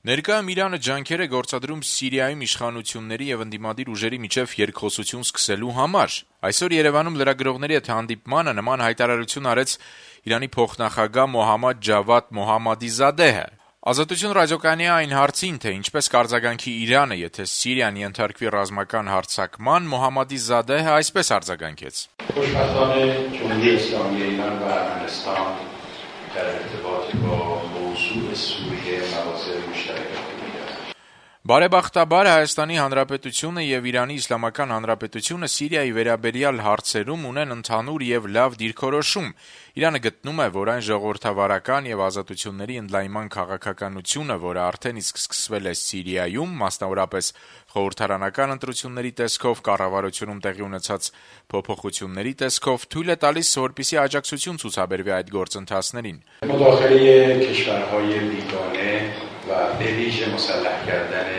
Ներկայում Իրանը ջանքեր է գործադրում Սիրիայում իշխանությունների եւ ընդդիմադիր ուժերի միջեւ երկխոսություն սկսելու համար։ Այսօր Երևանում լրագրողների հետ հանդիպմանը նման հայտարարություն արեց Իրանի փոխնախագահ Մոհամմադ Ջավադ Մոհամմադիզադեհը։ Ազատություն ռադիոկայանի այն հարցին, թե ինչպես կարձագանքի Իրանը, եթե Սիրիան ենթարկվի ռազմական հարձակման, Մոհամմադիզադեհը այսպես արձագանքեց. خوشبختانه جمهوری اسلامی ایران و ارمنستان در ارتباط با موضوع سوریه مواضع مشترک می‌دارند. Բարեբախտաբար Հայաստանի Հանրապետությունը եւ Իրանի Իսլամական Հանրապետությունը Սիրիայի վերաբերյալ հարցերում ունեն ընդհանուր եւ լավ դիրքորոշում։ Իրանը գտնում է, որ այն ժողովրդավարական եւ ազատությունների ընդլայնման քաղաքականությունը, որը արդեն իսկ սկսվել է Սիրիայում, մասնավորապես խորհրդարանական ընտրությունների տեսքով, կառավարությունում տեղի ունեցած փոփոխությունների տեսքով, թույլ է տալիս, որպեսզի աջակցություն ցուցաբերվի այդ գործընթացներին։ مداخله کشورهای بیگانه و به ویژه مسلح کردن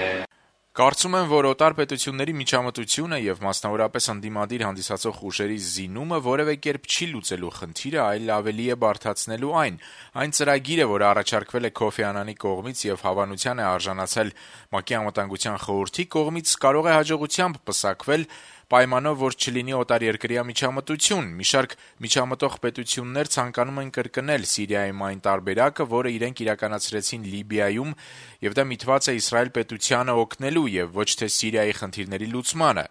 Կարծում եմ, որ օտար պետությունների միջամտությունը եւ մասնավորապես ընդդիմադիր հանդիսացող ուժերի զինումը որևէ կերպ չի լուծելու խնդիրը, այլ ավելի է բարդացնելու այն։ Այն ծրագիրը, որը առաջարկվել է Քոֆի Անանի կողմից եւ հավանության է արժանացել ՄԱԿ-ի անվտանգության խորհրդի կողմից, կարող է հաջողությամբ պսակվել պայմանով, որ չլինի օտարերկրյա միջամտություն։ Մի շարք միջամտող պետություններ ցանկանում են կրկնել Սիրիայում այն տարբերակը, որը իրենք իրականացրեցին Լիբիայում, եւ դա միտված է Իսրայել պետությանը օգնելու եւ ոչ թե Սիրիայի խնդիրների լուծմանը։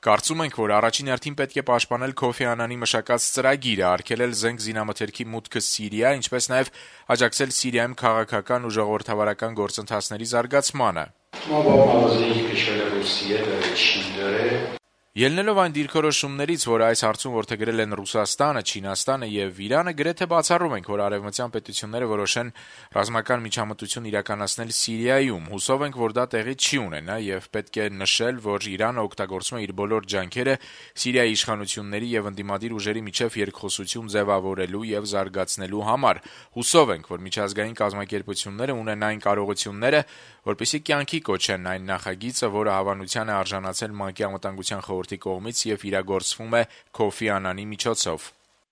Կարծում ենք, որ առաջին հերթին պետք է պաշտպանել Քոֆի Անանի մշակած ծրագիրը, արգելել զենք զինամթերքի մուտքը Սիրիա, ինչպես նաեւ աջակցել Սիրիայում քաղաքական ու ժողովրդավարական գործընթացների զարգացմանը։ ما با مواضعی که کشور روسیه داره چین داره Ելնելով այն դիրքորոշումներից, որ այս հարցում որդեգրել են Ռուսաստանը, Չինաստանը եւ Իրանը, գրեթե բացառում ենք, որ արևմտյան պետությունները որոշեն ռազմական միջամտություն իրականացնել Սիրիայում։ Հուսով ենք, որ դա տեղի չի ունենա եւ պետք է նշել, որ Իրանը օգտագործում է իր բոլոր ջանքերը Սիրիայի իշխանությունների եւ ընդդիմադիր ուժերի միջեւ երկխոսություն ձևավորելու եւ զարգացնելու համար։ Հուսով ենք, որ միջազգային կազմակերպությունները ունեն այն կարողությունները, որպեսզի կյանքի կոչեն այն նախագիծը, որը հավանության է արժանացել ՄԱԿ-ի անվտանգության խորհրդի կողմից եւ իրագործվում է Քոֆի Անանի միջոցով։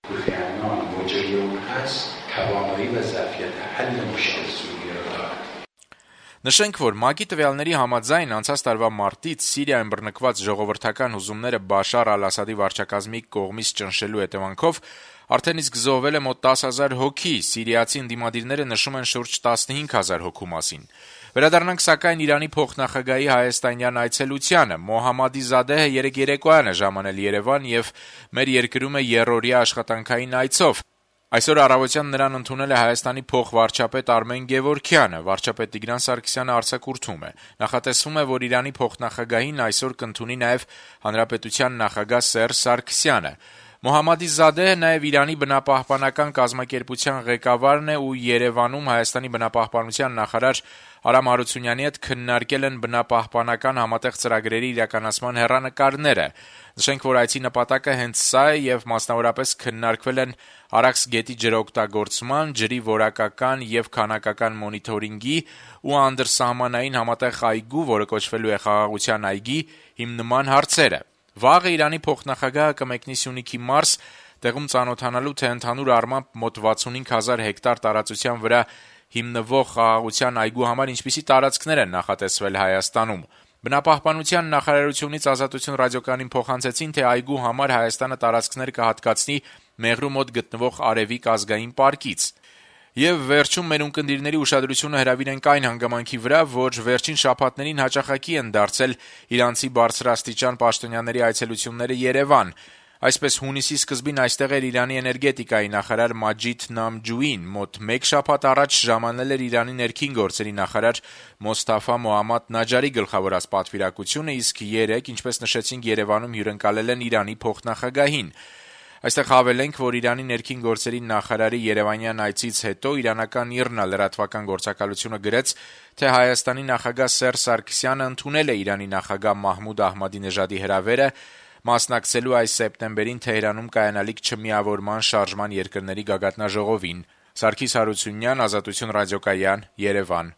کوفی عنان موجه اون هست توانایی و ظرفیت حل مشکل سوریه را دارد. Նշենք, որ ՄԱԿ-ի տվյալների համաձայն անցած տարվա մարտից Սիրիայում բռնկված ժողովրդական հուզումները Բաշար Ալ-Ասադի վարչակազմի կողմից ճնշելու հետևանքով արդեն իսկ զոհվել է մոտ 10,000 հոգի, սիրիացի ընդդիմադիրները նշում են շուրջ 15,000 հոգու մասին։ Վերադառնանք սակայն Իրանի փոխնախագահի հայաստանյան այցելությանը։ Մոհամմադիզադեհը երեկ երեկոյան է ժամանել Երևան եւ մեր երկրում է երրորդյա աշխատանքային այցով։ Այսօր առավոտյան նրան ընդունել է Հայաստանի փոխվարչապետ Արմեն Գևորգյանը, վարչապետ Տիգրան Սարգսյանը արձակուրդում է։ Նախատեսվում է, որ Իրանի փոխնախագահին այսօր կընդունի նաեւ Հանրապետության նախագահ Սերժ Սարգսյանը։ Մոհամմադիզադեհը նաեւ Իրանի բնապահպանական կազմակերպության ղեկավարն է ու Երևանում Հայաստանի բնապահպանության նախարար Արամ Հարությունյանի հետ քննարկել են բնապահպանական համատեղ ծրագրերի իրականացման հեռանկարները։ Նշենք, որ այցի նպատակը հենց սա է եւ մասնավորապես քննարկվել են Արաքս գետի ջրօգտագործման, ջրի որակական եւ քանակական մոնիթորինգի ու անդրսահմանային համատեղ այգու, որը կոչվելու է Խաղաղության այգի, հիմնման հարցերը։ Վաղը Իրանի փոխնախագահը կմեկնի Սյունիքի մարզ, տեղում ծանոթանալու թե ընդհանուր առմամբ մոտ 65,000 հեկտար տարածության վրա հիմնվող Խաղաղության այգու համար ինչպիսի տարածքներ են նախատեսվել Հայաստանում։ Բնապահպանության նախարարությունից Ազատություն ռադիոկայանին փոխանցեցին, թե այգու համար Հայաստանը տարածքներ կհատկացնի Մեղրու մոտ գտնվող Արևիկ ազգային պարկից։ Եվ վերջում մեր ունկնդիրների ուշադրությունը հրավիրենք այն հանգամանքի վրա, որ վերջին շաբաթներին հաճախակի են դարձել իրանցի բարձրաստիճան պաշտոնյաների այցելությունները Երևան։ Այսպես հունիսի սկզբին այստեղ էր Իրանի էներգետիկայի նախարար Մաջիդ Նամջուին, մոտ 1 շաբաթ առաջ ժամանել էր Իրանի ներքին գործերի նախարար Մոստաֆա Մոհամմադ Նաջարի գլխավորած պատվիրակությունը, իսկ 3, ինչպես նշեցինք, Երևանում հյուրընկալել են Իրանի փոխնախագահին։ Այստեղ հավելենք, որ Իրանի ներքին գործերի նախարարի երևանյան այցից հետո իրանական ԻՌՆԱ լրատվական գործակալությունը գրեց, թե Հայաստանի նախագահ Սերժ Սարգսյանը ընդունել է Իրանի նախագահ Մահմուդ Ահմադինեժադի հրավերը մասնակցելու այս սեպտեմբերին Թեհրանում կայանալիք չմիավորման շարժման երկրների գագաթնաժողովին։ Սարգիս Հարությունյան, Ազատություն ռադիոկայան, Երևան։